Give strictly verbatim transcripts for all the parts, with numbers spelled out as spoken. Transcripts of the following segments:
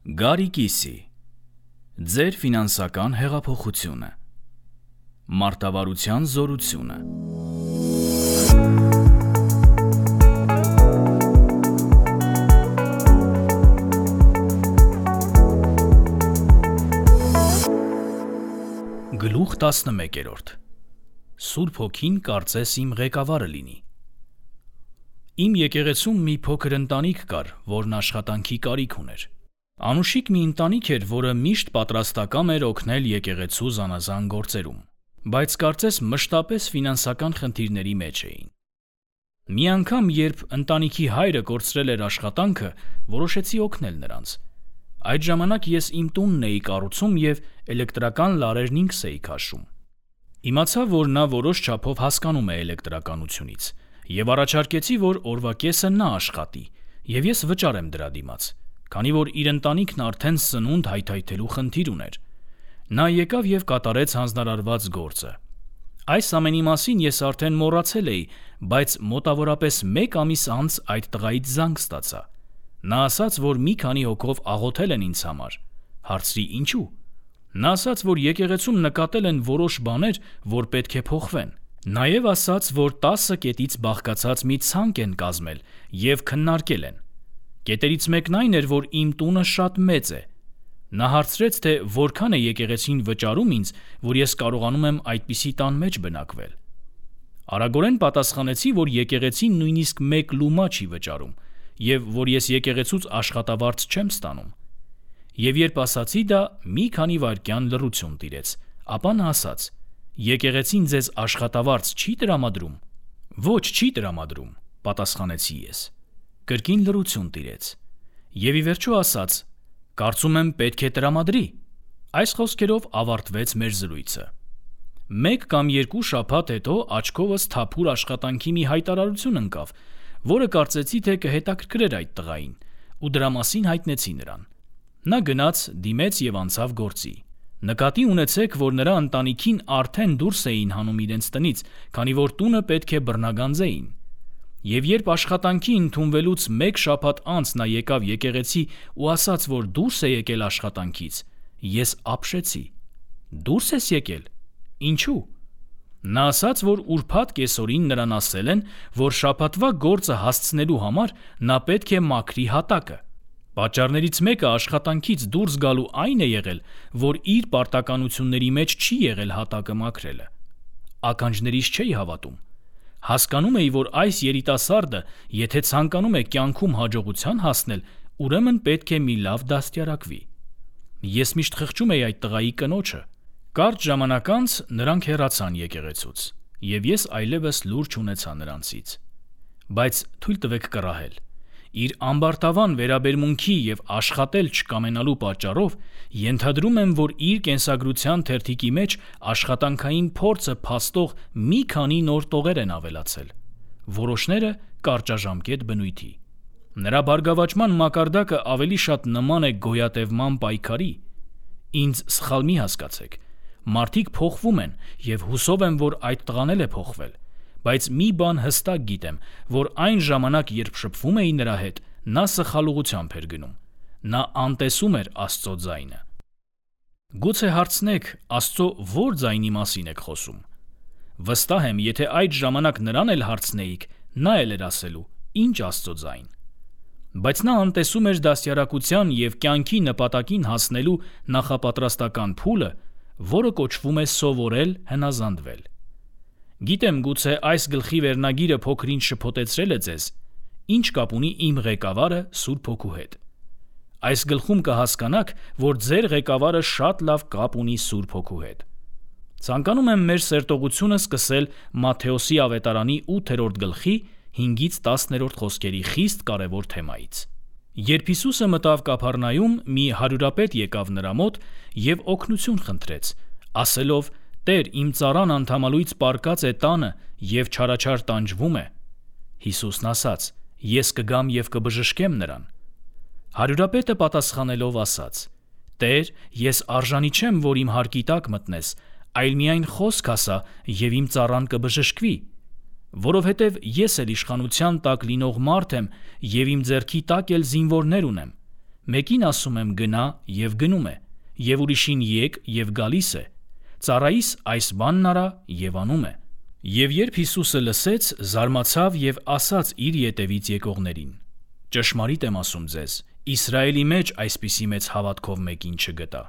Գարի կիսի, ձեր ֆինանսական հեղափոխությունը, մարտավարության զորությունը։ Գլուխ տասնմեկերորդ. Սուրբ Հոգին կարծես իմ ղեկավարը լինի։ Իմ եկեղեցում մի փոքր ընտանիք կար, որն աշխատանքի կարիք ուներ։ Անուշիկ մի ընտանիք էր, որը միշտ պատրաստակամ էր օգնել եկեղեցու զանազան գործերում, բայց կարծես մշտապես ֆինանսական խնդիրների մեջ էին։ Մի անգամ, երբ ընտանիքի հայրը կորցրել էր աշխատանքը, որոշեցի օգնել նրանց։ Այդ ժամանակ ես իմ տունն էի կառուցում և էլեկտրական լարերն ինքս էի քաշում։ Իմացա, որ նա որոշ չափով հասկանում է էլեկտրականությունից, և առաջարկեցի, որ օրվա կեսը նա աշխատի, և ես վճարեմ դրա դիմաց, քանի որ իր ընտանիքն արդեն սնունդ հայթայթելու խնդիր ուներ։ Նա եկավ և կատարեց հանձնարարված գործը։ Այս ամենի մասին ես արդեն մոռացել էի, բայց մոտավորապես մեկ ամիս անց այդ տղայից զանգ ստացա։ Նա ասաց, որ մի քանի հոգով աղոթել են ինձ համար։ Հարցրի՝ ինչու։ Նա ասաց, որ եկեղեցում նկատել են որոշ բաներ, որ պետք է փոխվեն։ Նաև ասաց, որ տասը կետից բաղկացած մի ցանկ են կազմել և քննարկել են։ Կետերից մեկն այն էր, որ իմ տունը շատ մեծ է։ Նա հարցրեց, թե որքան է եկեղեցին վճարում ինձ, որ ես կարողանում եմ այդպիսի տան մեջ բնակվել։ Արագորեն պատասխանեցի, որ եկեղեցին նույնիսկ մեկ լումա չի վճարում, և որ ես եկեղեցուց աշխատավարձ չեմ ստանում։ Եվ երբ ասացի դա, մի քանի վայրկյան լռություն տիրեց, ապա նա ասաց. «Եկեղեցին ձեզ աշխատավարձ չի տրամադրում»։ «Ոչ, չի տրամադրում», պատասխանեցի ես։ Կրկին լռություն տիրեց, և ի վերջո ասաց. «Կարծում եմ պետք է տրամադրի»։ Այս խոսքերով ավարտվեց մեր զրույցը։ Մեկ կամ երկու շաբաթ հետո աչքովս թափուր աշխատանքի մի հայտարարություն ընկավ, որը կարծեցի, թե կհետաքրքրեր այդ տղային, ու դրա մասին հայտնեցի նրան։ Նա գնաց, դիմեց և անցավ գործի։ Նկատի ունեցեք, որ նրա ընտանիքին արդեն դուրս էին հանում իրենց տնից, քանի որ տունը պետք է բռնագանձեին։ Եվ երբ աշխատանքի ընդունվելուց մեկ շաբաթ անց նա եկավ եկեղեցի ու ասաց, որ դուրս է եկել աշխատանքից, ես ապշեցի։ Դուրս ես եկել։ Ինչու։ Նա ասաց, որ ուրբաթ կեսօրին նրան ասել են, որ շաբաթվա գործը հասցնելու համար նա պետք է մաքրի հատակը։ Պատճառներից մեկը աշխատանքից դուրս գալու այն է եղել, որ իր պարտականությունների մեջ չի եղել հատակը մաքրելը։ Ականջներիս չէի հավատում։ Հասկանում էի, որ այս երիտասարդը, եթե ցանկանում է կյանքում հաջողության հասնել, ուրեմն պետք է մի լավ դաստիարակվի։ Ես միշտ խղճում էի այդ տղայի կնոջը։ Կարճ ժամանակ անց նրանք հեռացան եկեղեցուց, և ես այլևս լուր չունեցա նրանցից։ Բայց թույլ տվեք կռահել։ Իր ամբարտավան վերաբերմունքի և աշխատել չկամենալու պատճառով ենթադրում եմ, որ իր կենսագրության թերթիկի մեջ աշխատանքային փորձը փաստող մի քանի նոր տողեր են ավելացել։ Որոշները կարճաժամկետ բնույթի։ Նրա բարգավաճման մակարդակը ավելի շատ նման է գոյատևման պայքարի։ Ինձ սխալ մի հասկացեք։ Մարդիկ փոխվում են, և հուսով եմ, որ այդ տղան էլ է փոխվել, բայց մի բան հստակ գիտեմ, որ այն ժամանակ, երբ շփվում էի նրա հետ, նա սխալուղությամբ էր գնում։ Նա անտեսում էր Աստծո ձայնը։ Գուցե հարցնեք, Աստծո ո՞ր ձայնի մասին եք խոսում։ Վստահ եմ, եթե այդ ժամանակ նրան էլ հարցնեիք, նա էլ էր ասելու. «Ինչ Աստծո ձայն»։ Բայց նա անտեսում էր դաստիարակության և կյանքի նպատակին հասնելու նախապատրաստական փուլը, որը կոչվում է սովորել հնազանդվել։ Գիտեմ, գուցե այս գլխի վերնագիրը փոքր-ինչ շփոթեցրել է ձեզ. ինչ կապ ունի իմ ղեկավարը Սուրբ Հոգու հետ։ Այս գլխում կհասկանաք, որ ձեր ղեկավարը շատ լավ կապ ունի Սուրբ Հոգու հետ։ Ցանկանում եմ մեր սերտողությունը սկսել Մատթեոսի ավետարանի ութերորդ գլխի հինգից տասներորդ խոսքերի խիստ կարևոր թեմայից։ Երբ Հիսուսը մտավ Կափառնայում, մի հարյուրապետ եկավ նրա մոտ և օգնություն խնդրեց, ասելով. «Տեր, իմ ծառան անդամալույց պառկած է տանը և չարաչար տանջվում է»։ Հիսուսն ասաց. «Ես կգամ և կբժշկեմ նրան»։ Հարյուրապետը պատասխանելով ասաց. «Տեր, ես արժանի չեմ, որ իմ հարկի տակ մտնես, այլ միայն խոսք ասա, և իմ ծառան կբժշկվի։ Որովհետև ես էլ իշխանության տակ լինող մարդ եմ, և իմ ձեռքի տակ էլ զինվորներ ունեմ։ Մեկին ասում եմ գնա և գնում է, և ուրիշին եկ և գալիս է, ծառայիս այս բանն արա և անում է։ Եվ երբ Հիսուսը լսեց, զարմացավ և ասաց իր ետևից եկողներին. ճշմարիտ եմ ասում ձեզ, Իսրայելի մեջ այսպիսի մեծ հավատքով մեկին չգտա։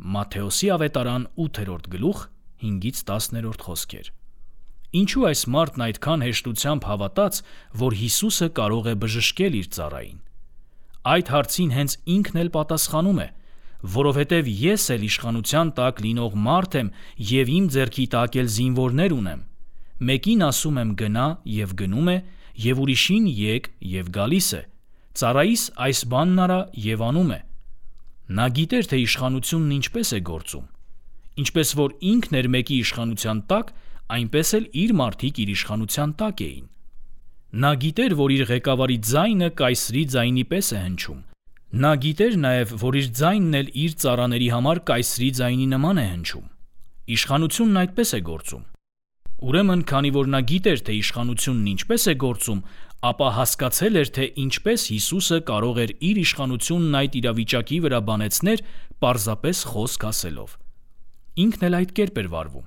Մատթեոսի ավետարան ութերորդ գլուխ հինգից տասներորդ խոսքեր։ Ինչու այս մարդն այդքան հեշտությամբ հավատաց, որ Հիսուսը կարող է բժշկել իր ծառային։ Այդ հարցին հենց ինքն էլ պատասխանում է, որովհետև ես էլ իշխանության տակ լինող մարդ եմ և իմ ձեռքի տակ էլ զինվորներ ունեմ։ Մեկին ասում եմ գնա և գնում է, և ուրիշին եկ և գալիս է, ծառայիս այս բանն արա և անում է։ Նա գիտեր, թե իշխանությունն ինչպես է գործում։ Ինչպես որ ինքն էր մեկի իշխանության տակ, այնպես էլ իր մարդիկ իր իշխանության տակ էին։ Նա գիտեր, որ իր ղեկավարի ձայնը կայսրի ձայնի պես է հնչում։ Նա գիտեր նաև, որ իր ձայնն էլ իր ծառաների համար կայսրի ձայնի նման է հնչում։ Իշխանությունն այդպես է գործում։ Ուրեմն, քանի որ նա գիտեր, թե իշխանությունն ինչպես է գործում, ապա հասկացել էր, թե ինչպես Հիսուսը կարող էր իր իշխանությունն այդ իրավիճակի վրա բանեցնել պարզապես խոսք ասելով։ Ինքն էլ այդ կերպ էր վարվում։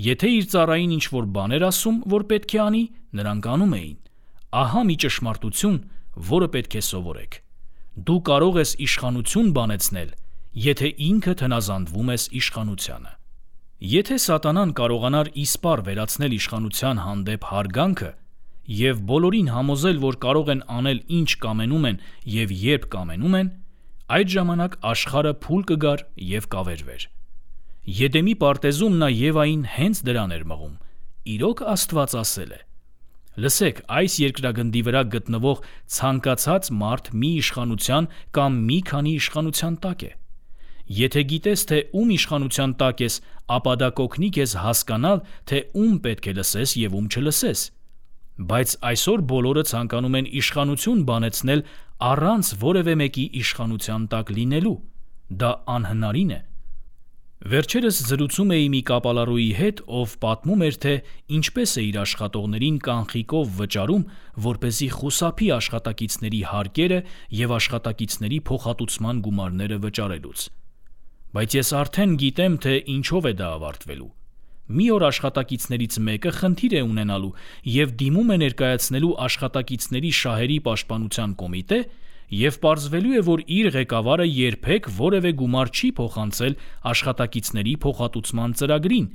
Եթե իր ծառային ինչ-որ բան էր ասում, որ պետք է անի, նրանք անում էին։ Ահա մի ճշմարտություն, որը պետք է սովորեք։ Դու կարող ես իշխանություն բանեցնել, եթե ինքդ հնազանդվում ես իշխանությանը։ Եթե սատանան կարողանար իսպառ վերացնել իշխանության հանդեպ հարգանքը և բոլորին համոզել, որ կարող են անել ինչ կամենում են և երբ կամենում են, այդ ժամանակ աշխարհը փուլ կգար և կավերվեր։ Եդեմի պարտեզում նա Եվային հենց դրան էր մղում։ Իրոք Աստված ասել է. լսեք, այս երկրագնդի վրա գտնվող ցանկացած մարդ մի իշխանության կամ մի քանի իշխանության տակ է։ Եթե գիտես, թե ում իշխանության տակ ես, ապա դա կօգնի քեզ հասկանալ, թե ում պետք է լսես և ում չլսես։ Բայց այսօր բոլորը ցանկանում են իշխանություն բանեցնել առանց որևէ մեկի իշխանության տակ լինելու։ Դա անհնարին է։ Վերջերս զրուցում էի մի կապալառուի հետ, ով պատմում էր, թե ինչպես է իր աշխատողներին կանխիկով վճարում, որպեսզի խուսափի աշխատակիցների հարկերը և աշխատակիցների փոխհատուցման գումարները վճարելուց։ Բայց ես արդեն գիտեմ, թե ինչով է դա ավարտվելու։ Մի օր աշխատակիցներից մեկը խնդիր է ունենալու և դիմում է ներկայացնելու աշխատակիցների շահերի պաշտպանության կոմիտե և պարզվելու է, որ իր ղեկավարը երբեք որևէ գումար չի փոխանցել աշխատակիցների փոխհատուցման ծրագրին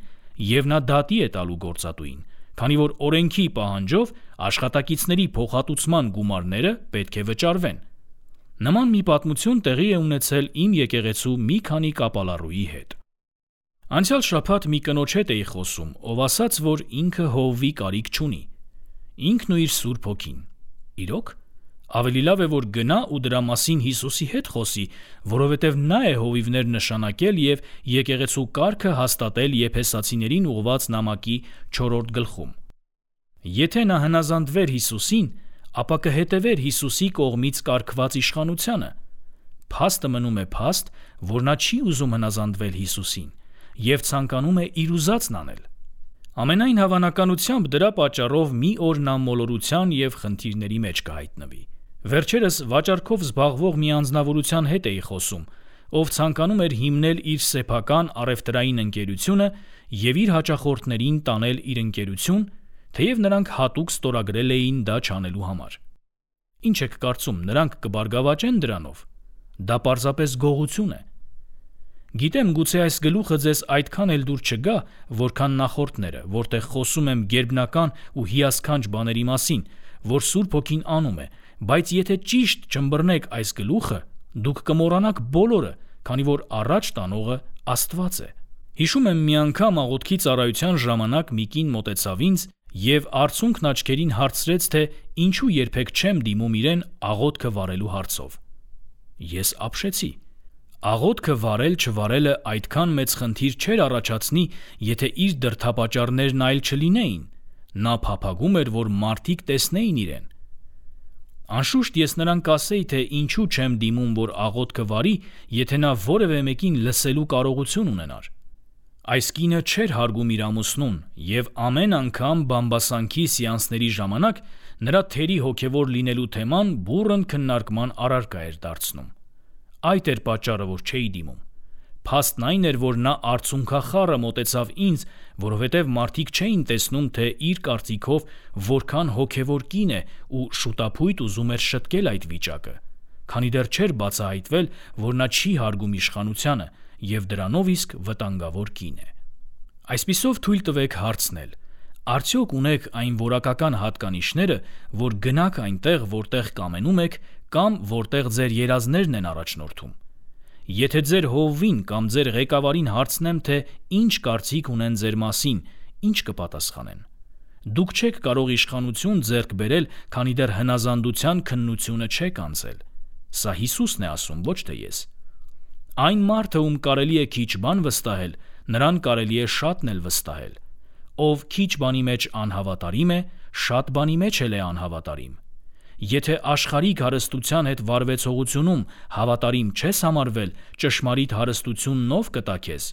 և նա դատի է տալու գործատուին, քանի որ օրենքի պահանջով աշխատակիցների փոխհատուցման գումարները պետք է վճարվեն։ Նման մի պատմություն տեղի է ունեցել իմ եկեղեցու մի քանի կապալառուի հետ։ Անցյալ շաբաթ մի կնոջ հետ էի խոսում, ով ասաց, որ ինքը հովվի կարիք չունի։ Ինքն ու իր Սուրբ Հոգին։ Իրոք, ավելի լավ է, որ գնա ու դրա մասին Հիսուսի հետ խոսի, որովհետև նա է հովիվներ նշանակել և եկեղեցու կարգը հաստատել Եփեսացիներին ուղղված նամակի չորրորդ գլխում։ Եթե նա հնազանդվեր Հիսուսին, ապա կհետևեր Հիսուսի կողմից կարգված իշխանությանը։ Փաստը մնում է փաստ, որ նա չի ուզում հնազանդվել Հիսուսին և ցանկանում է իր ուզածն անել։ Ամենայն հավանականությամբ դրա պատճառով մի օր նա մոլորության և խնդիրների մեջ կհայտնվի։ Վերջերս վաճառքով զբաղվող մի անձնավորության հետ էի խոսում, ով ցանկանում էր հիմնել իր սեփական առևտրային ընկերությունը և իր հաճախորդներին տանել իր ընկերություն, թեև նրանք հատուկ ստորագրել էին դա չանելու համար։ Ինչ եք կարծում, նրանք կբարգավաճեն դրանով։ Դա պարզապես գողություն է։ Գիտեմ, գուցե այս գլուխը ձեզ այդքան էլ դուր չգա, որքան նախորդները, որտեղ խոսում եմ գերբնական ու հիասքանչ բաների մասին, որ Սուրբ Հոգին անում է, բայց եթե ճիշտ չըմբռնեք այս գլուխը, դուք կմոռանաք բոլորը, քանի որ առաջ տանողը Աստված է։ Հիշում եմ մի անգամ աղոթքի ծառայության ժամանակ մի կին մոտեցավ ինձ և արցունքն աչքերին հարցրեց, թե ինչու երբեք չեմ դիմում իրեն աղոթքը վարելու հարցով։ Ես ապշեցի։ Աղոթքը վարել-չվարելը այդքան մեծ խնդիր չէր առաջացնի, եթե իր դրդապատճառներն այլ չլինեին։ Նա փափագում էր, որ մարդիկ տեսնեին իրեն։ Անշուշտ ես նրան կասեի, թե ինչու չեմ դիմում, որ աղոթքը վարի, եթե նա որևէ մեկին լսելու կարողություն ունենար։ Այս կինը չէր հարգում իր ամուսնուն և ամեն անգամ բամբասանքի սեանսների ժամանակ նրա թերի հոգևոր լինելու թեման բուռն քննարկման առարկա էր դարձնում։ Այդ էր պատճառը, որ չէի դիմում։ Փաստն այն էր, որ նա արցունքախառը մոտեցավ ինձ, որովհետև մարդիկ չէին տեսնում, թե իր կարծիքով որքան հոգևոր կին է ու շուտափույթ ուզում էր շտկել այդ վիճակը, քանի դեռ չէր բացահայտվել, որ նա չի հարգում իշխանությանը և դրանով իսկ վտանգավոր կին է։ Այսպիսով թույլ տվեք հարցնել. արդյոք ունեք այն որակական հատկանիշները, որ գնաք այնտեղ, որտեղ կամենում եք, կամ որտեղ ձեր երազներն են առաջնորդում։ Եթե ձեր հովվին կամ ձեր ղեկավարին հարցնեմ, թե ինչ կարծիք ունեն ձեր մասին, ինչ կպատասխանեն։ Դուք չեք կարող իշխանություն ձեռք բերել, քանի դեռ հնազանդության քննությունը չեք անցել։ Սա Հիսուսն է ասում, ոչ թե ես։ Այն մարդը, ում կարելի է քիչ բան վստահել, նրան կարելի է շատն էլ վստահել։ Ով քիչ բանի մեջ անհավատարիմ է, շատ բանի մեջ էլ է անհավատարիմ։ Եթե աշխարհիկ հարստության հետ վարվեցողությունում հավատարիմ չես համարվել, ճշմարիտ հարստությունն ով կտա քեզ։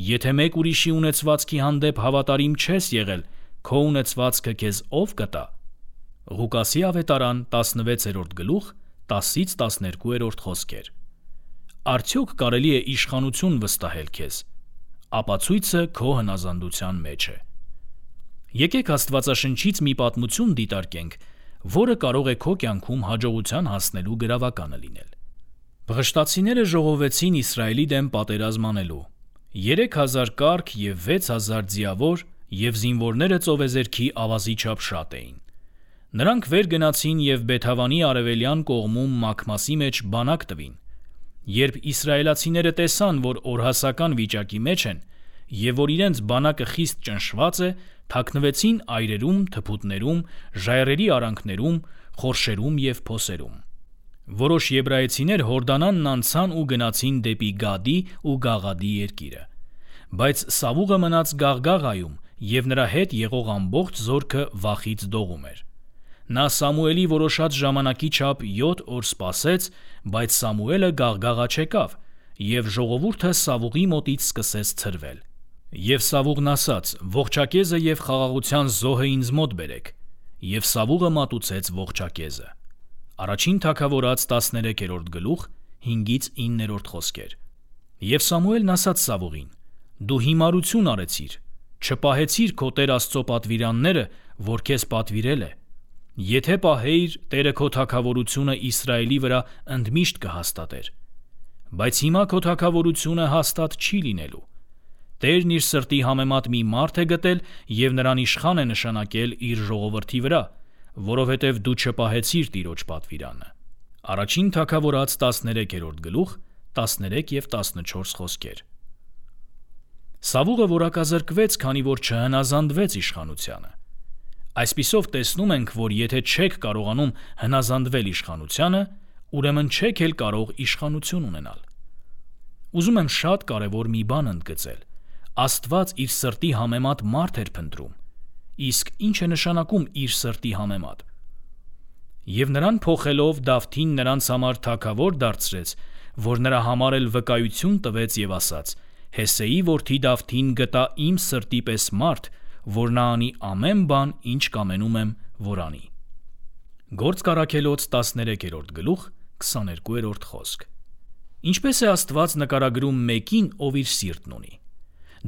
Եթե մեկ ուրիշի ունեցվածքի հանդեպ հավատարիմ չես եղել, քո ունեցվածքը քեզ ով կտա։ Ղուկասի ավետարան տասնվեցերորդ գլուխ տասից տասներկուերորդ խոսքեր։ Արդյոք կարելի է իշխանություն վստահել քեզ։ Ապացույցը քո հնազանդության մեջ է։ Եկեք Աստվածաշնչից մի պատմություն դիտարկենք, որը կարող է քո կյանքում հաջողության հասնելու գրավականը լինել։ Վղշտացիները ժողովեցին Իսրայելի դեմ պատերազմ անելու։ Երեք հազար կառք և վեց հազար ձիավոր և զինվորները ծովեզերքի ավազի չափ շատ էին։ Նրանք վեր գնացին և Բեթավանի արևելյան կողմում Մաքմասի մեջ բանակ տվին։ Երբ իսրայելացիները տեսան, որ օրհասական վիճակի մեջ են և որ իրենց բանակը խիստ ճնշված է, թաքնվեցին այրերում, թփուտներում, ժայռերի արանքներում, խորշերում և փոսերում։ Որոշ եբրայեցիներ Հորդանանն անցան ու գնացին դեպի Գադի ու Գաղադի երկիրը։ Բայց Սավուղը մնաց Գաղգաղայում, և նրա հետ եղող ամբողջ զորքը վախից դողում էր։ Նա Սամուելի որոշած ժամանակի չափ յոթ օր սպասեց, բայց Սամուելը Գաղգաղա չեկավ, և ժողովուրդը Սավուղի մոտից սկսեց ցրվել։ Եվ Սավուղն ասաց. «Ողջակեզը և խաղաղության զոհը ինձ մոտ բերեք», և Սավուղը մատուցեց ողջակեզը։ Առաջին թագավորաց տասներեքերորդ գլուխ հինգից իններորդ խոսքեր։ Եվ Սամուելն ասաց Սավուղին. «Դու հիմարություն արեցիր, չպահեցիր քո Տեր Աստծո պատվիրանները, որ քեզ պատվիրել է։ Եթե պահեիր, Տերը քո թագավորությունը Իսրայելի վրա ընդմիշտ կհաստատեր։ Բայց հիմա քո թագավորությունը հաստատ չի լինելու։ Տերն իր սրտի համեմատ մի մարդ է գտել և նրան իշխան է նշանակել իր ժողովրդի վրա, որովհետև դու չպահեցիր Տիրոջ պատվիրանը»։ Առաջին թագավորաց տասներեքերորդ գլուխ տասներեք և տասնչորս խոսքեր։ Սավուղը որակազրկվեց, քանի որ չհնազանդվեց իշխանությանը։ Այսպիսով տեսնում ենք, որ եթե չեք կարողանում հնազանդվել իշխանությանը, ուրեմն չեք էլ կարող իշխանություն ունենալ։ Ուզում եմ շատ կարևոր մի բան ընդգծել. Աստված իր սրտի համեմատ մարդ էր փնտրում։ Իսկ ի՞նչ է նշանակում իր սրտի համեմատ։ Եվ նրան փոխելով Դավթին նրանց համար թագավոր դարձրեց, որ նրա համար էլ վկայություն տվեց և ասաց. «Հեսեի որդի Դավթին գտա իմ սրտի պես մարդ, որ նա անի ամեն բան, ինչ կամենում եմ, որ անի»։ Գործք առաքելոց տասներեքերորդ գլուխ քսաներկուերորդ խոսք։ Ինչպես է Աստված նկարագրում մեկին, ով իր սիրտն ունի։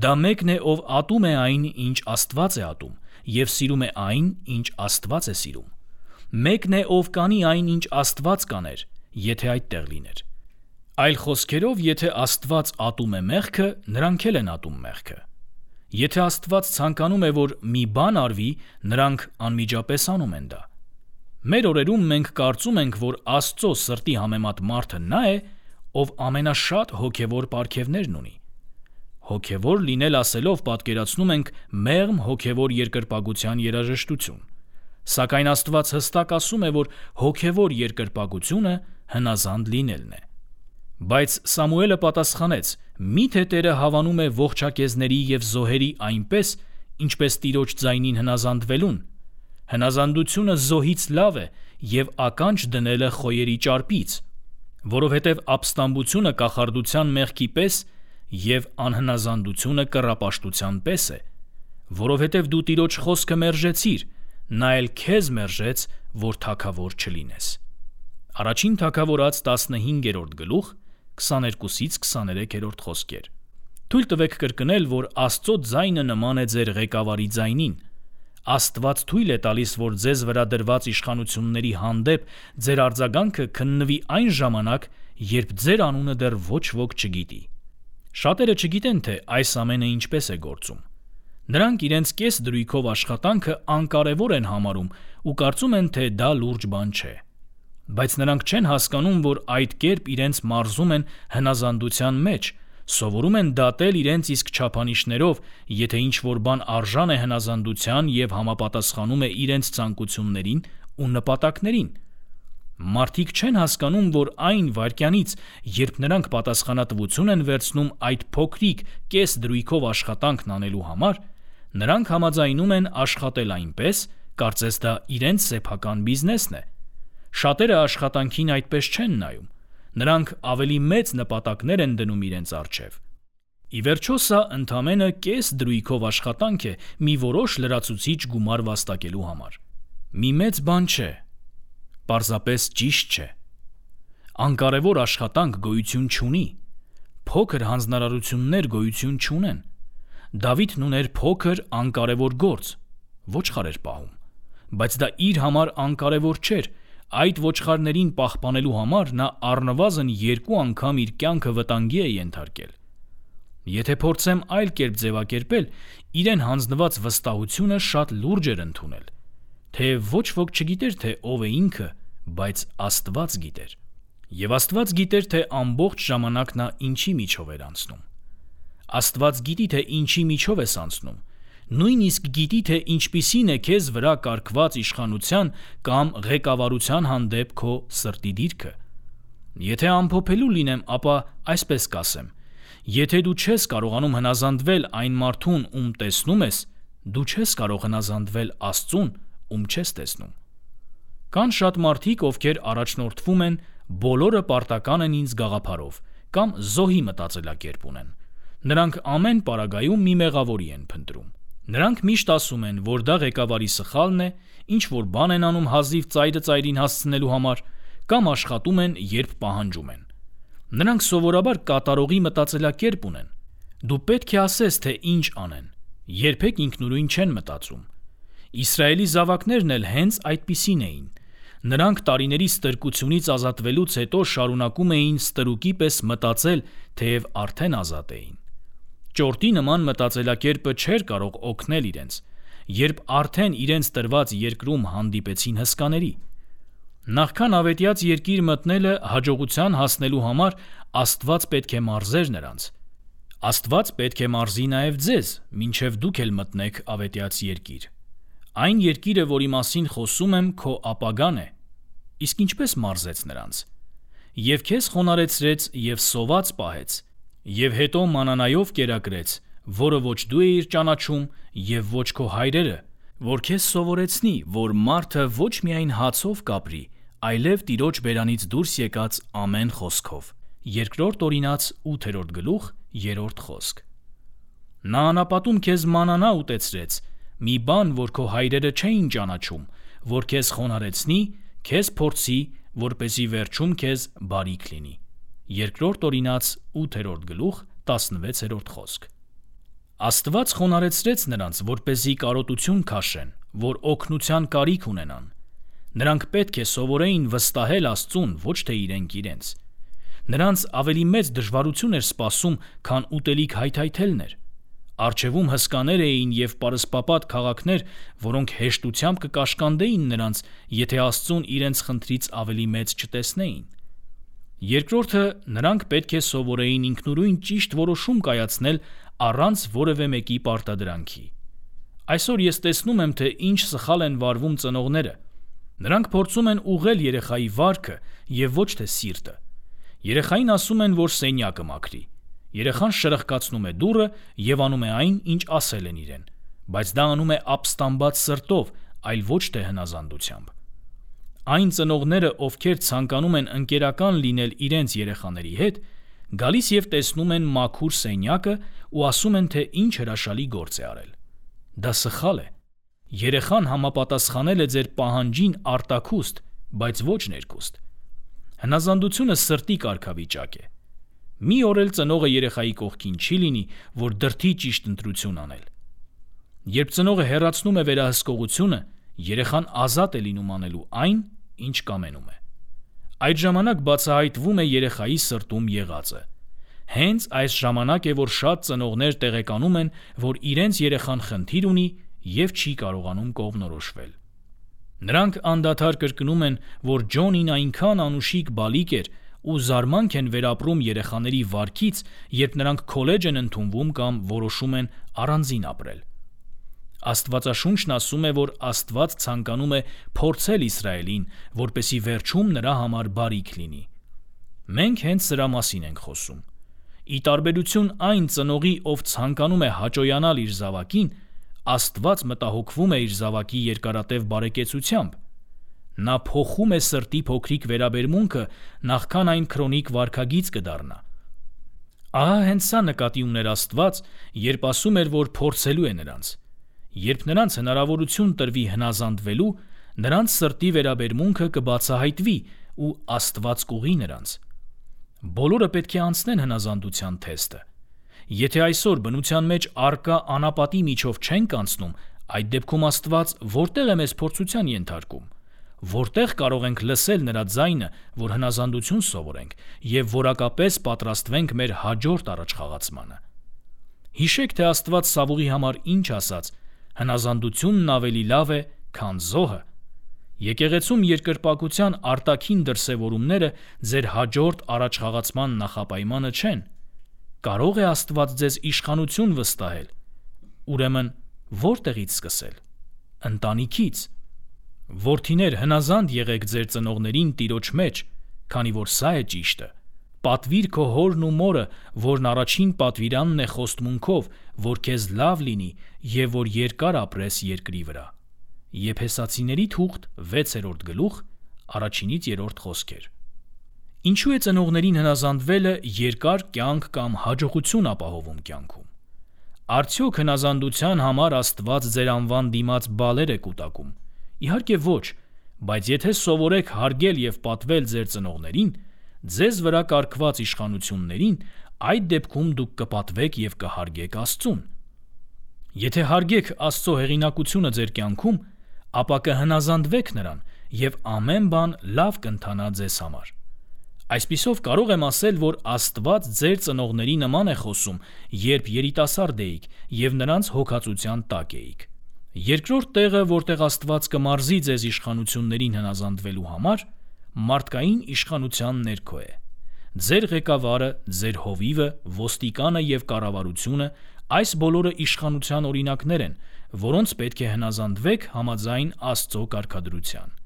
Դա մեկն է, ով ատում է այն, ինչ Աստված է ատում, և սիրում է այն, ինչ Աստված է սիրում։ Մեկն է, ով կանի այն, ինչ Աստված կաներ, եթե այդտեղ լիներ։ Այլ խոսքերով, եթե Աստված ատում է մեղքը, նրանք էլ են ատում մեղքը։ Եթե Աստված ցանկանում է, որ մի բան արվի, նրանք անմիջապես անում են դա։ Մեր օրերում մենք կարծում ենք, որ Աստծո սրտի համեմատ մարդը նա է, ով ամենաշատ հոգևոր պարգևներն ունի։ Հոգևոր լինել ասելով պատկերացնում ենք մեղմ հոգևոր երկրպագության երաժշտություն։ Սակայն Աստված հստակ ասում է, որ հոգևոր երկրպագությունը հնազանդ լինելն է։ Բայց Սամուելը պատասխանեց. «Միթե Տերը հավանում է ողջակեզների և զոհերի այնպես, ինչպես Տիրոջ ձայնին հնազանդվելուն։ Հնազանդությունը զոհից լավ է և ականջ դնելը խոյերի ճարպից, որովհետև ապստամբությունը կախարդության մեղքի պես և անհնազանդությունը կռապաշտության պես է, որովհետև դու Տիրոջ խոսքը մերժեցիր, նա էլ քեզ մերժեց, որ թագավոր չլինես»։ Առաջին թագավորաց տասնհինգերորդ գլուխ քսաներկուսից քսաներեքերորդ խոսքեր։ Թույլ տվեք կրկնել, որ Աստծո ձայնը նման է ձեր ղեկավարի ձայնին։ Աստված թույլ է տալիս, որ ձեզ վրա դրված իշխանությունների հանդեպ ձեր արձագանքը քննվի այն ժամանակ, երբ ձեր անունը դեռ ոչ ոք չգիտի։ Շատերը չգիտեն, թե այս ամենը ինչպես է գործում։ Նրանք իրենց կես դրույքով աշխատանքը անկարևոր են համարում ու կարծում են, թե դա լուրջ բան չէ։ Բայց նրանք չեն հասկանում, որ այդ կերպ իրենց մարզում են հնազանդության մեջ, սովորում են դատել իրենց իսկ չափանիշներով, եթե ինչ-որ բան արժան է հնազանդության և համապատասխանում է իրենց ցանկություններին ու նպատակներին։ Մարդիկ չեն հասկանում, որ այն վայրկյանից, երբ նրանք պատասխանատվություն են վերցնում այդ փոքրիկ կես դրույքով աշխատանքն անելու համար, նրանք համաձայնում են աշխատել այնպես, կարծես դա իրենց սեփական բիզնեսն է։ Շատերը աշխատանքին այդպես չեն նայում։ Նրանք ավելի մեծ նպատակներ են դնում իրենց առջև։ Ի վերջո սա ընդամենը կես դրույքով աշխատանք է մի որոշ լրացուցիչ գումար վաստակելու համար։ Մի մեծ բան չէ, պարզապես ճիշտ չէ։ Անկարևոր աշխատանք գոյություն չունի։ Փոքր հանձնարարություններ գոյություն չունեն։ Դավիթն ուներ փոքր անկարևոր գործ, ոչխար էր պահում, բայց դա իր համար անկարևոր չէր։ Այդ ոչխարներին պահպանելու համար նա առնվազն երկու անգամ իր կյանքը վտանգի է ենթարկել։ Եթե փորձեմ այլ կերպ ձևակերպել, իրեն հանձնված վստահությունը շատ լուրջ էր ընդունել, թեև ոչ ոք չգիտեր, թե ով է ինքը, բայց Աստված գիտեր։ Եվ Աստված գիտեր, թե ամբողջ ժամանակ նա ինչի միջով էր անցնում։ Աստված գիտի, թե ինչի միջով ես անցնում, նույնիսկ գիտի, թե ինչպիսին է քեզ վրա կարգված իշխանության կամ ղեկավարության հանդեպ քո սրտի դիրքը։ Եթե ամփոփելու լինեմ, ապա այսպես կասեմ. եթե դու չես կարողանում հնազանդվել այն մարդուն, ում տեսնում ես, դու չես կարող հնազանդվել Աստծուն, ում չես տեսնում։ Կան շատ մարդիկ, ովքեր առաջնորդվում են բոլորը պարտական են ինձ գաղափարով կամ զոհի մտածելակերպ ունեն։ Նրանք ամեն պարագայում մի մեղավորի են փնտրում։ Նրանք միշտ ասում են, որ դա ղեկավարի սխալն է, ինչ որ բան են անում հազիվ ծայրը ծայրին հասցնելու համար, կամ աշխատում են, երբ պահանջում են։ Նրանք սովորաբար կատարողի մտածելակերպ ունեն։ Դու պետք է ասես, թե ինչ անեն։ Երբեք ինքնուրույն չեն մտածում։ Իսրայելի զավակներն էլ հենց այդպիսին էին։ Նրանք տարիների ստրկությունից ազատվելուց հետո շարունակում էին ստրուկի պես մտածել, թեև արդեն ազատ էին։ Ճորտի նման մտածելակերպը չէր կարող օգնել իրենց, երբ արդեն իրենց տրված երկրում հանդիպեցին հսկաների։ Նախքան ավետյաց երկիր մտնելը հաջողության հասնելու համար Աստված պետք է մարզեր նրանց։ Աստված պետք է մարզի նաև ձեզ, մինչև դուք էլ մտնեք ավետյաց երկիր։ Այն երկիրը, որի մասին խոսում եմ, քո ապագան է։ Իսկ ինչպես մարզեց նրանց։ Եվ քեզ խոնարհեցրեց և սոված պահեց, և հետո մանանայով կերակրեց, որը ոչ դու էիր ճանաչում և ոչ քո հայրերը, որ քեզ սովորեցնի, որ մարդը ոչ միայն հացով կապրի, այլև Տիրոջ բերանից դուրս եկած ամեն խոսքով։ Երկրորդ Օրինաց ութերորդ գլուխ երրորդ խոսք։ Նա անապատում քեզ մանանա ուտեցրեց, մի բան, որ քո հայրերը չէին ճանաչում, որ քեզ խոնարհեցնի, քեզ փորձի, որպեսզի վերջում քեզ բարիք լինի։ Երկրորդ Օրինաց ութերորդ գլուխ տասնվեցերորդ խոսք։ Աստված խոնարհեցրեց նրանց, որպեսզի կարոտություն քաշեն, որ օգնության կարիք ունենան։ Նրանք պետք է սովորեին վստահել Աստծուն, ոչ թե իրենք իրենց։ Նրանց ավելի մեծ դժվարություն էր սպասում, քան ուտելիք հայթայթելն էր։ Առջևում հսկաներ էին և պարսպապատ քաղաքներ, որոնք հեշտությամբ կկաշկանդեին նրանց, եթե Աստծուն իրենց խնդրից ավելի մեծ չտեսնեին։ Երկրորդը, նրանք պետք է սովորեին ինքնուրույն ճիշտ որոշում կայացնել առանց որևէ մեկի պարտադրանքի։ Այսօր ես տեսնում եմ, թե ինչ սխալ են վարվում ծնողները։ Նրանք փորձում են ուղղել երեխայի վարքը և ոչ թե սիրտը։ Երեխային ասում են, որ սենյակը մաքրի։ Երեխան շրխկացնում է դուռը և անում է այն, ինչ ասել են իրեն, բայց դա անում է ապստամբած սրտով, այլ ոչ թե հնազանդությամբ։ Այն ծնողները, ովքեր ցանկանում են ընկերական լինել իրենց երեխաների հետ, գալիս և տեսնում են մաքուր սենյակը ու ասում են, թե ինչ հրաշալի գործ է արել։ Դա սխալ է։ Երեխան համապատասխանել է ձեր պահանջին արտաքուստ, բայց ոչ ներքուստ։ Հնազանդությունը սրտի կարգավիճակ է։ Մի օր էլ ծնողը երեխայի կողքին չի լինի, որ դրդի ճիշտ ընտրություն անել։ Երբ ծնողը հեռացնում է վերահսկողությունը, երեխան ազատ է լինում անելու այն, ինչ կամենում է։ Այդ ժամանակ բացահայտվում է երեխայի սրտում եղածը։ Հենց այս ժամանակ է, որ շատ ծնողներ տեղեկանում են, որ իրենց երեխան խնդիր ունի և չի կարողանում կողմնորոշվել։ Նրանք անդադար կրկնում են, որ Ջոնին այնքան անուշիկ բալիկ էր ու զարմանք են վերապրում երեխաների վարքից, երբ նրանք քոլեջ են ընդունվում կամ որոշում են առանձին ապրել։ Աստվածաշունչն ասում է, որ Աստված ցանկանում է փորձել Իսրայելին, որպեսզի վերջում նրա համար բարիք լինի։ Մենք հենց սրա մասին ենք խոսում։ Ի տարբերություն այն ծնողի, ով ցանկանում է հաճոյանալ իր զավակին, Աստված մտահոգվում է իր զավակի երկարատև բարեկեցությամբ։ Նա փոխում է սրտի փոքրիկ վերաբերմունքը, նախքան այն քրոնիկ վարքագիծ կդառնա։ Ահա հենց սա նկատի ուներ Աստված, երբ ասում էր, որ փորձելու է նրանց։ Երբ նրանց հնարավորություն տրվի հնազանդվելու, նրանց սրտի վերաբերմունքը կբացահայտվի ու Աստված կուղի նրանց։ Բոլորը պետք է անցնեն հնազանդության թեստը։ Եթե այսօր բնության մեջ առկա անապատի միջով չենք անցնում, այդ դեպքում Աստված որտեղ է մեզ փորձության ենթարկում, որտեղ կարող ենք լսել նրա ձայնը, որ հնազանդություն սովորենք և որակապես պատրաստվենք մեր հաջորդ առաջխաղացմանը։ Հիշեք, թե Աստված Սավուղի համար ինչ ասաց. հնազանդությունն ավելի լավ է, քան զոհը։ Եկեղեցում երկրպագության արտաքին դրսևորումները ձեր հաջորդ առաջխաղացման նախապայմանը չեն։ Կարո՞ղ է Աստված ձեզ իշխանություն վստահել։ Ուրեմն որտեղից սկսել։ Ընտանիքից։ Որդիներ, հնազանդ եղեք ձեր ծնողներին Տիրոջ մեջ, քանի որ սա է ճիշտը։ Պատվիր քո հորն ու մորը, որն առաջին պատվիրանն է խոստմունքով, որ քեզ լավ լինի և որ երկար ապրես երկրի վրա։ Եփեսացիների թուղթ վեցերորդ գլուխ առաջինից երրորդ խոսքեր։ Ինչու է ծնողներին հնազանդվելը երկար կյանք կամ հաջողություն ապահովում կյանքում։ Արդյոք հնազանդության համար Աստված ձեր անվան դիմաց բալեր է կուտակում։ Իհարկե ոչ, բայց եթե սովորեք հարգել և պատվել ձեր ծնողներին, ձեզ վրա կարգված իշխանություններին, այդ դեպքում դուք կպատվեք և կհարգեք Աստծուն։ Եթե հարգեք Աստծո հեղինակությունը ձեր կյանքում, ապա կհնազանդվեք նրան և ամեն բան լավ կընթանա ձեզ համար։ Այսպիսով կարող եմ ասել, որ Աստված ձեր ծնողների նման է խոսում, երբ երիտասարդ էիք և նրանց հոգածության տակ էիք։ Երկրորդ տեղը, որտեղ Աստված կմարզի ձեզ իշխանություններին հնազանդվելու համար, մարդկային իշխանության ներքո է։ Ձեր ղեկավարը, ձեր հովիվը, ոստիկանը և կառավարությունը այս բոլորը իշխանության օրինակներ են, որոնց պետք է հնազանդվեք համաձայն Աստծո կարգադրության։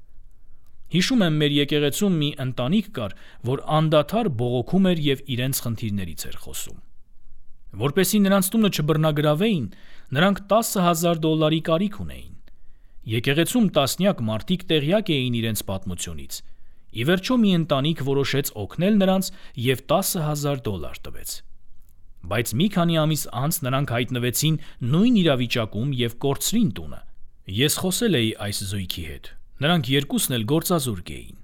Հիշում եմ, մեր եկեղեցում մի ընտանիք կար, որ անդադար բողոքում էր և իրենց խնդիրներից էր խոսում։ Որպեսզի նրանց տունը չբռնագրավեին, նրանք տասը հազար դոլարի կարիք ունեին։ Եկեղեցում տասնյակ մարդիկ տեղյակ էին իրենց պատմությունից։ Ի վերջո մի ընտանիք որոշեց օգնել նրանց և տասը հազար դոլար տվեց։ Բայց մի քանի ամիս անց նրանք հայտնվեցին նույն իրավիճակում և կորցրին տունը։ Ես խոսել էի այս զույգի հետ։ Նրանք երկուսն էլ գործազուրկ էին։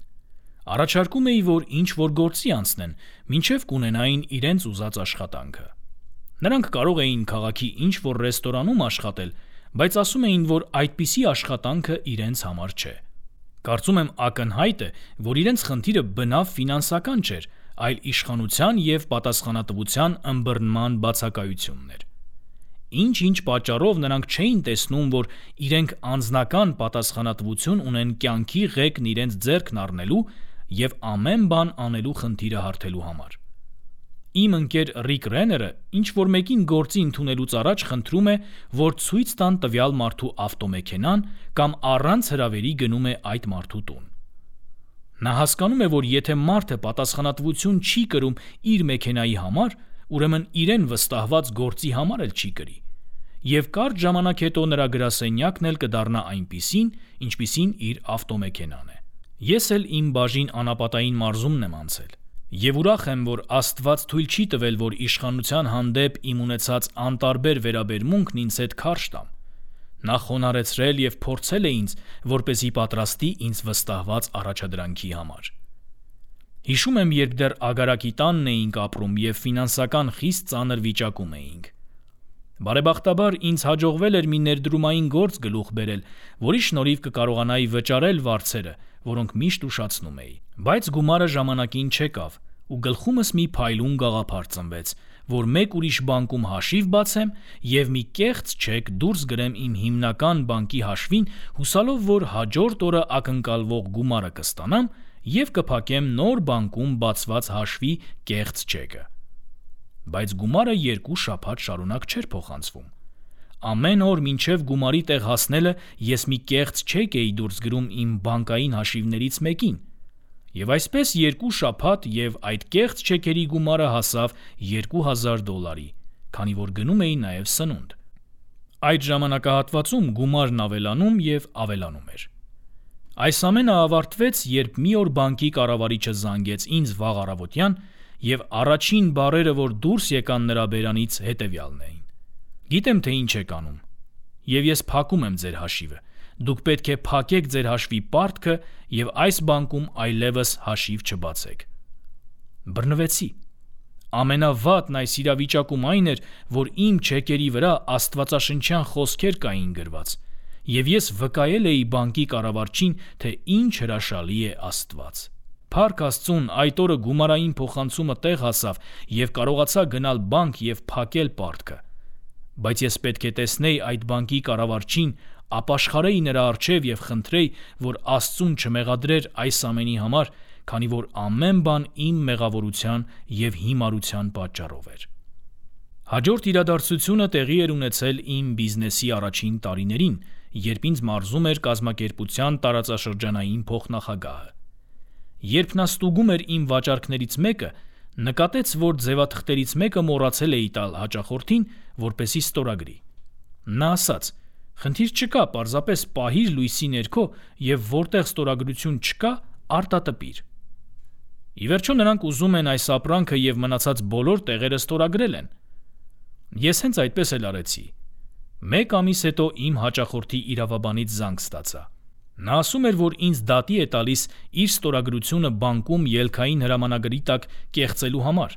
Առաջարկում էի, որ ինչ-որ գործի անցնեն, մինչև կունենային իրենց ուզած աշխատանքը։ Նրանք կարող էին քաղաքի ինչ-որ ռեստորանում աշխատել, բայց ասում էին, որ այդպիսի աշխատանքը իրենց համար չէ։ Կարծում եմ ակնհայտ է, որ իրենց խնդիրը բնավ ֆինանսական չէր, այլ իշխանության և պատասխանատվության ըմբռնման բացակայությունն էր։ Ինչ-ինչ պատճառով նրանք չէին տեսնում, որ իրենք անձնական պատասխանատվություն ունեն կյանքի ղեկն իրենց ձեռքն առնելու և ամեն բան անելու խնդիրը հարթելու համար։ Իմ ընկեր Ռիկ Ռեները ինչ-որ մեկին գործի ընդունելուց առաջ խնդրում է, որ ցույց տան տվյալ մարդու ավտոմեքենան կամ առանց հրավերի գնում է այդ մարդու տուն։ Նա հասկանում է, որ եթե մարդը պատասխանատվություն չի կրում իր մեքենայի համար, ուրեմն իրեն վստահված գործի համար էլ չի կրի։ Եվ կարճ ժամանակ հետո նրա գրասենյակն էլ կդառնա այնպիսին, ինչպիսին իր ավտոմեքենան է։ Ես էլ իմ բաժին անապատային մարզումն եմ անցել։ Եվ ուրախ եմ, որ Աստված թույլ չի տվել, որ իշխանության հանդեպ իմ ունեցած անտարբեր վերաբերմունքն ինձ հետ քարշ տամ։ Նա խոնարհեցրել և փորձել է ինձ, որպեսզի պատրաստի ինձ վստահված առաջադրանքի համար։ Հիշում եմ, երբ դեռ ագարակի տանն էինք ապրում և ֆինանսական խիստ ծանր վիճակում էինք։ Բարեբախտաբար ինձ հաջողվել էր մի ներդրումային գործ գլուխ բերել, որի շնորհիվ կկարողանայի վճարել վարձերը, որոնք միշտ ուշացնում էի։ Բայց գումարը ժամանակին չեկավ, ու գլխումս մի փայլուն գաղափար ծնվեց, որ մեկ ուրիշ բանկում հաշիվ բացեմ և մի կեղծ չեք դուրս գրեմ իմ հիմնական բանկի հաշվին, հուսալով, որ հաջորդ օրը ակնկալվող գումարը կստանամ և կփակեմ նոր բանկում բացված հաշվի կեղծ չեկը։ Բայց գումարը երկու շաբաթ շարունակ չէր փոխանցվում։ Ամեն օր մինչև գումարի տեղ հասնելը ես մի կեղծ չեք էի դուրս գրում իմ բանկային հաշիվներից մեկին։ Եվ այսպես երկու շաբաթ և այդ կեղծ չեքերի գումարը հասավ երկու հազար դոլարի, քանի որ գնում էի նաև սնունդ։ Այդ ժամանակահատվածում գումարն ավելանում և ավելանում էր։ Այս ամենը ավարտվեց, երբ մի օր բանկի կառավարիչը զանգեց ինձ վաղ առավոտյան, և առաջին բառերը, որ դուրս եկան նրա բերանից, հետևյալն էին. «Գիտեմ, թե ինչ եք անում, և ես փակում եմ ձեր հաշիվը։ Դուք պետք է փակեք ձեր հաշվի պարտքը և այս բանկում այլևս հաշիվ չբացեք»։ Բռնվեցի։ Ամենավատն այս իրավիճակում այն էր, որ իմ չեկերի վրա աստվածաշնչյան խոսքեր կային գրված, և ես վկայել էի բանկի կառավարչին, թե ինչ հրաշալի է Աստված։ Փառք Աստծուն, այդ օրը գումարային փոխանցումը տեղ հասավ և կարողացա գնալ բանկ և փակել պարտքը։ Բայց ես պետք է տեսնեի այդ բանկի կառավարչին, ապաշխարեի նրա առջև և խնդրեի, որ Աստծուն չմեղադրեր այս ամենի համար, քանի որ ամեն բան իմ մեղավորության և հիմարության պատճառով էր։ Հաջորդ իրադարձությունը տեղի էր ունեցել իմ բիզնեսի առաջին տարիներին, երբ ինձ մարզում էր կազմակերպության տարածաշրջանային փոխնախագահը։ Երբ նա ստուգում էր իմ վաճառքներից մեկը, նկատեց, որ ձևաթղթերից մեկը մոռացել էի տալ հաճախորդին, որպեսզի ստորագրի։ Նա ասաց. «Խնդիր չկա, պարզապես պահիր լույսի ներքո և որտեղ ստորագրություն չկա, արտատպիր»։ Ի վերջո նրանք ուզում են այս ապրանքը և մնացած բոլոր տեղերը ստորագրել են։ Ես հենց այդպես էլ արեցի։ Մեկ ամիս հետո իմ հաճախորդի իրավաբանից զանգ ստացա։ Նա ասում էր, որ ինձ դատի է տալիս իր ստորագրությունը բանկում ելքային հրամանագրի տակ կեղծելու համար։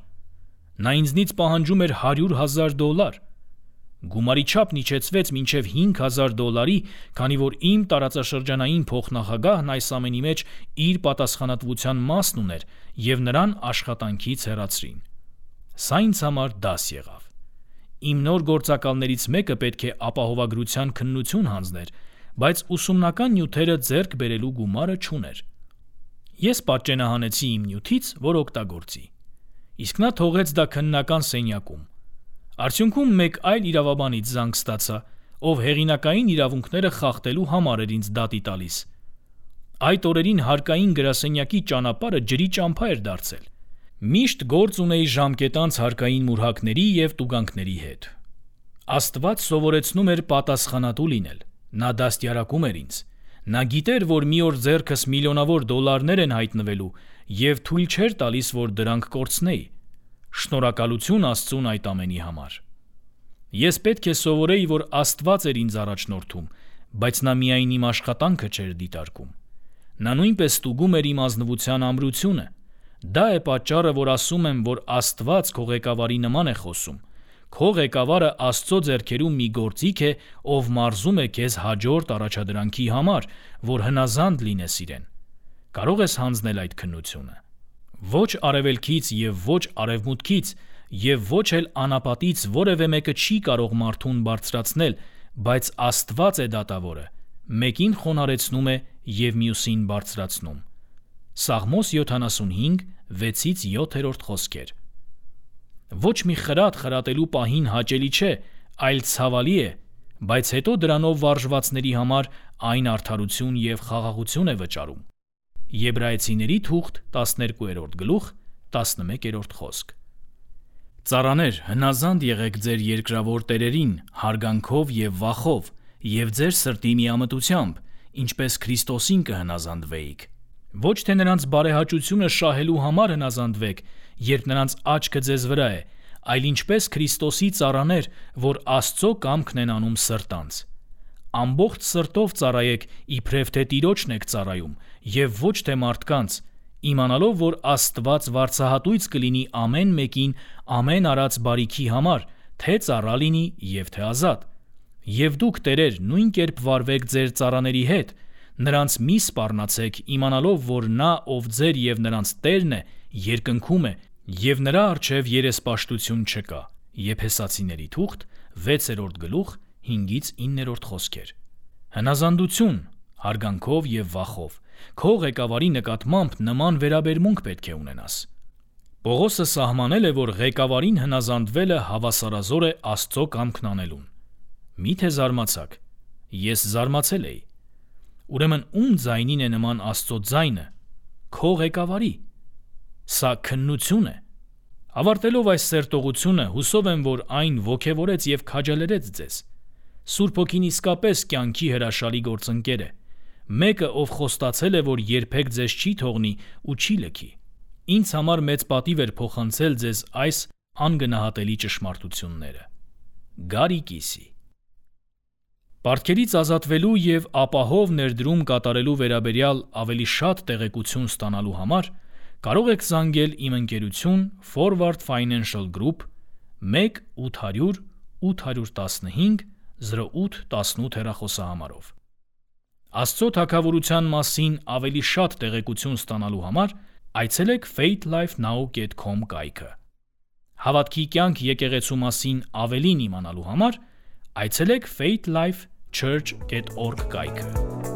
Նա ինձնից պահանջում էր հարյուր հազար դոլար։ Գումարի չափն իջեցվեց մինչև հինգ հազար դոլարի, քանի որ իմ տարածաշրջանային փոխնախագահն այս ամենի մեջ իր պատասխանատվության մասն ուներ և նրան աշխատանքից հեռացրին։ Սա ինձ համար դաս եղավ։ Իմ նոր գործակալներից մեկը պետք է ապահովագրության քննություն հանձներ, բայց ուսումնական նյութերը ձեռք բերելու գումարը չուներ։ Ես պատճենահանեցի իմ նյութից, որ օգտագործի։ Իսկ նա թողեց դա քննական սենյակում։ Արդյունքում մեկ այլ իրավաբանից զանգ ստացա, ով հեղինակային իրավունքները խախտելու համար էր ինձ դատի տալիս։ Այդ օրերին հարկային գրասենյակի ճանապարհը ջրի ճամփա էր դարձել։ Միշտ գործ ունեի ժամկետանց հարկային մուրհակների և տուգանքների հետ։ Աստված սովորեցնում էր պատասխանատու լինել։ Նա դաստիարակում էր ինձ։ Նա գիտեր, որ մի օր ձեռքս միլիոնավոր դոլարներ են հայտնվելու և թույլ չէր տալիս, որ դրանք կորցնեի։ Շնորհակալություն Աստծուն այդ ամենի համար։ Ես պետք է սովորեի, որ Աստված էր ինձ առաջնորդում, բայց նա միայն իմ աշխատանքը չէր դիտարկում։ Նա նույնպես ստուգում էր իմ ազնվության ամրությունը։ Դա է պատճառը, որ ասում եմ, որ Աստված քո ղեկավարի նման է խոսում։ Քո ղեկավարը Աստծո ձեռքերում մի գործիք է, ով մարզում է քեզ հաջորդ առաջադրանքի համար, որ հնազանդ լինես իրեն։ Կարող ես հանձնել այդ քննությունը։ Ոչ արևելքից և ոչ արևմուտքից և ոչ էլ անապատից որևէ մեկը չի կարող մարդուն բարձրացնել, բայց Աստված է դատավորը, մեկին խոնարհեցնում է և մյուսին բարձրացնում։ Սաղմոս յոթանասունհինգ վեցից յոթերորդ խոսքեր։ Ոչ մի խրատ խրատելու պահին հաճելի չէ, այլ ցավալի է, բայց հետո դրանով վարժվածների համար այն արդարություն և խաղաղություն է վճարում։ Եբրայեցիների թուղթ տասներկուերորդ գլուխ տասնմեկերորդ խոսք։ Ծառաներ, հնազանդ եղեք ձեր երկրավոր տերերին հարգանքով և վախով և ձեր սրտի միամտությամբ, ինչպես Քրիստոսին կհնազանդվեիք։ Ոչ թե նրանց բարեհաճությունը շահելու համար հնազանդվեք, երբ նրանց աչքը ձեզ վրա է, այլ ինչպես Քրիստոսի ծառաներ, որ Աստծո կամքն են անում սրտանց։ Ամբողջ սրտով ծառայեք, իբրև թե Տիրոջն եք ծառայում, և ոչ թե մարդկանց, իմանալով, որ Աստված վարձահատույց կլինի ամեն մեկին ամեն արած բարիքի համար, թե ծառա լինի և թե ազատ։ Եվ դուք, տերեր, նույն կերպ վարվեք ձեր ծառաների հետ, նրանց մի սպառնացեք, իմանալով, որ նա, ով ձեր և նրանց Տերն է, երկնքում է, և նրա առջև երեսպաշտություն չկա։ Եփեսացիների թուղթ, վեցերորդ գլուխ, հինգից իններորդ խոսքեր։ Հնազանդություն, հարգանքով և վախով, քո ղեկավարի նկատմամբ նման վերաբերմունք պետք է ունենաս։ Պողոսը սահմանել է, որ ղեկավարին հնազանդվելը հավասարազոր է Աստծո կամքն անելուն։ Մի՞թե զարմացաք։ Ես զարմացել էի։ Ուրեմն ում ձայնին է նման Աստծո ձայնը։ Քո ղեկավարի։ Սա քննություն է։ Ավարտելով այս սերտողությունը, հուսով եմ, որ այն ոգևորեց և քաջալերեց ձեզ։ Սուրբ Հոգին իսկապես կյանքի հրաշալի գործընկեր է։ Մեկը, ով խոստացել է, որ երբեք ձեզ չի թողնի ու չի լքի։ Ինձ համար մեծ պատիվ էր փոխանցել ձեզ այս անգնահատելի ճշմարտությունները։ Գարի Կիսի։ Պարտքերից ազատվելու և ապահով ներդրում կատարելու վերաբերյալ ավելի շատ տեղեկություն ստանալու համար կարող եք զանգել իմ ընկերություն Forward Financial Group մեկ ութ հարյուր ութ տասնհինգ զրո ութ տասնութ հեռախոսահամարով։ Աստծո թագավորության մասին ավելի շատ տեղեկություն ստանալու համար այցելեք faith life now dot com կայքը։ Հավատքի կյանք եկեղեցու մասին ավելին իմանալու համար այցելեք faith life church dot org կայքը։